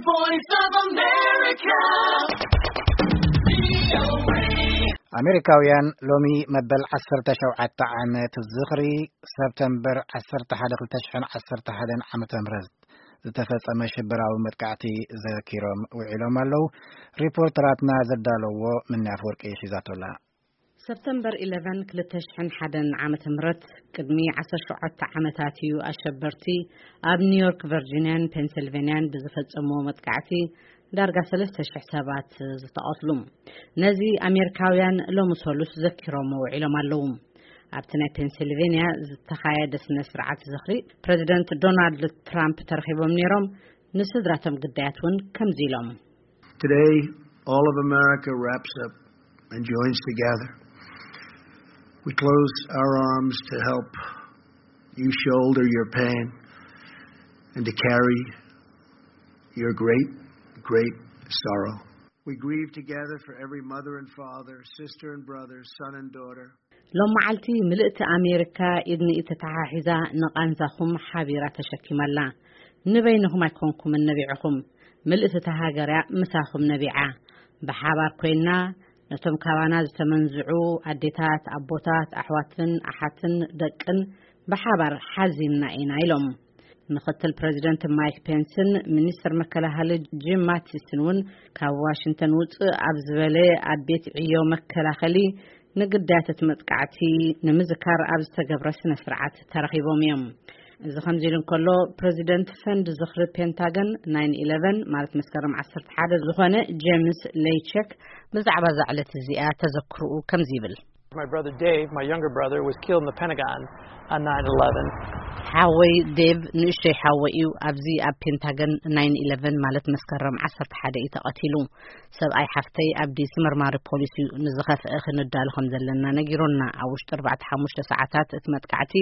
Voice of America. ኣሜሪካውያን ሎሚ መበል ዓሰርተ ሸውዓተ ዓመት ዝኽሪ ሰፕተምበር ዓሰርተ ሓደ ክልተ ሽሕን ዓሰርተ ሓደን ዓመተ ምህረት ዝተፈጸመ ሽበራዊ መጥቃዕቲ ዘኪሮም ውዒሎም ኣለዉ። ሪፖርተራትና ዘዳለዎ ምንያ ኣፈወርቂ ሒዛቶላ። ሰፕተምበር ኢለቨን ክልተ ሽሕን ሓደን ዓመተ ምህረት ቅድሚ ዓሰርተ ሸውዓተ ዓመታት እዩ ኣሸበርቲ ኣብ ኒውዮርክ፣ ቨርጂንያን ፔንሲልቬንያን ብዝፈጸምዎ መጥቃዕቲ ዳርጋ ሰለስተ ሽሕ ሰባት ዝተቐትሉ። ነዚ ኣሜሪካውያን ሎሚ ሰሉስ ዘኪሮም ውዒሎም ኣለዉ። ኣብቲ ናይ ፔንሲልቬንያ ዝተኻየደ ስነ ስርዓት ዝኽሪ ፕሬዚደንት ዶናልድ ትራምፕ ተረኺቦም ነይሮም። ንስድራቶም ግዳያት እውን ከምዚ ኢሎም። Today, all of America wraps up and joins together. We close our arms to help you shoulder your pain and to carry your great, great sorrow. We grieve together for every mother and father, sister and brother, son and daughter. ሎም መዓልቲ ምልእቲ ኣሜሪካ ኢድ ንኢድ ተተሓሒዛ ንቓንዛኹም ሓቢራ ተሸኪማ ኣላ። ንበይንኹም ኣይኮንኩምን ነቢዕኹም፣ ምልእቲ እታ ሃገር እያ ምሳኹም ነቢዓ። ብሓባር ኮይና ነቶም ካባና ዝተመንዝዑ ኣዴታት፣ ኣቦታት፣ ኣሕዋትን ኣሓትን ደቅን ብሓባር ሓዚንና ኢና ኢሎም። ምኽትል ፕሬዚደንት ማይክ ፔንስን ሚኒስትር መከላኸሊ ጂም ማቲስን እውን ካብ ዋሽንግተን ውፅእ ኣብ ዝበለ ኣብ ቤት ዕዮ መከላኸሊ ንግዳያት እቲ መጥቃዕቲ ንምዝካር ኣብ ዝተገብረ ስነ ስርዓት ተረኺቦም እዮም። እዚ ከምዚ ኢሉ እንከሎ፣ ፕሬዚደንት ፈንድ ዝኽሪ ፔንታገን ናይን ኢለቨን ማለት መስከረም ዓሰርተ ሓደ ዝኾነ ጄምስ ሌይቸክ ብዛዕባ እዛ ዕለት እዚኣ ተዘክርኡ ከምዚ ይብል። My brother Dave, my younger brother, was killed in the Pentagon on nine eleven. ሓወይ ዴቭ ንእሽተይ ሓወይ እዩ ኣብዚ ኣብ ፔንታገን ናይን ኢለቨን ማለት መስከረም ዓሰርተ ሓደ እዩ ተቐቲሉ። ሰብኣይ ሓፍተይ ኣብ ዲሲ መርማሪ ፖሊስ እዩ። ንዝኸፍአ ክንዳሎ ከም ዘለና ነጊሮና። ኣብ ውሽጢ ኣርባዕተ ሓሙሽተ ሰዓታት እቲ መጥቃዕቲ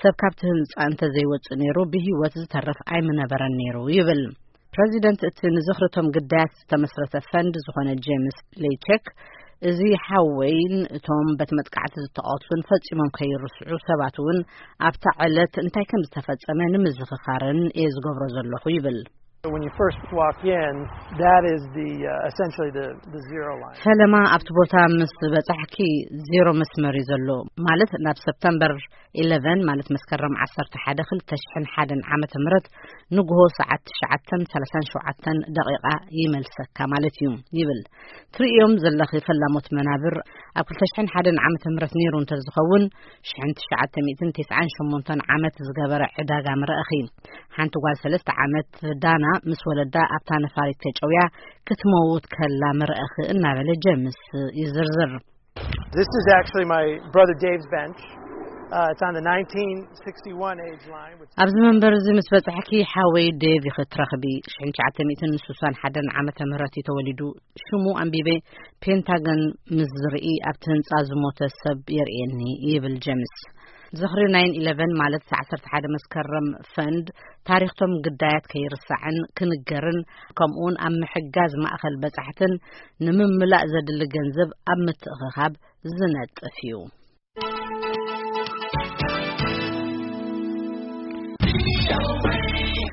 ሰብ ካብቲ ህንጻ እንተዘይወጽእ ነይሩ ብህይወት ዝተርፍ ኣይምነበረን ነይሩ ይብል። ፕረዚደንት እቲ ንዝኽርቶም ግዳያት ዝተመስረተ ፈንድ ዝኾነ ጄምስ ሌይቸክ፣ እዚ ሓወይን እቶም በቲ መጥቃዕቲ ዝተቐትሉን ፈጺሞም ከይርስዑ ሰባት እውን ኣብታ ዕለት እንታይ ከም ዝተፈጸመ ንምዝኽኻርን እየ ዝገብሮ ዘለኹ ይብል። When you first walk in, that is the, uh, essentially the, the zero line. ፈለማ ኣብቲ ቦታ ምስ በጻሕኪ ዜሮ መስመር እዩ ዘሎ፣ ማለት ናብ ሰፕተምበር ኢለቨን ማለት መስከረም ዓሰርተ ሓደ ክልተ ሽሕን ሓደን ዓመተ ምህረት ንግሆ ሰዓት ትሽዓተን ሰላሳን ሸውዓተን ደቂቓ ይመልሰካ ማለት እዩ ይብል። ትርእዮም ዘለኺ ፈላሞት መናብር ኣብ ክልተ ሽሕን ሓደን ዓመተ ምህረት ነይሩ እንተዝኸውን ሽሕን ትሽዓተ ሚእትን ተስዓን ሸሞንተን ዓመት ዝገበረ ዕዳጋ ምረእኺ። ሓንቲ ጓል ሰለስተ ዓመት ዳና ምስ ወለዳ ኣብታ ነፋሪት ተጨውያ ክትመውት ከላ ምረእኺ እናበለ ጀምስ ይዝርዝር። This is actually my brother Dave's bench. Uh, it's on the nineteen sixty-one age line, which ኣብዚ መንበር እዚ ምስ በጻሕኪ ሓወይ ዴቭ ኢኺ ትረኽቢ። ሽሕን ትሽዓተ ሚእትን ስሳን ሓደን ዓመተ ምህረት እዩ ተወሊዱ። ሽሙ ኣንቢበ ፔንታገን ምስ ዝርኢ ኣብቲ ህንጻ ዝሞተ ሰብ የርእየኒ ይብል ጀምስ። ዝኽሪ ናይን ኢለቨን ማለት ዓሰርተ ሓደ መስከረም ፈንድ ታሪኽቶም ግዳያት ከይርሳዕን ክንገርን ከምኡውን ኣብ ምሕጋዝ ማእኸል በጻሕትን ንምምላእ ዘድሊ ገንዘብ ኣብ ምትእኽኻብ ዝነጥፍ እዩ።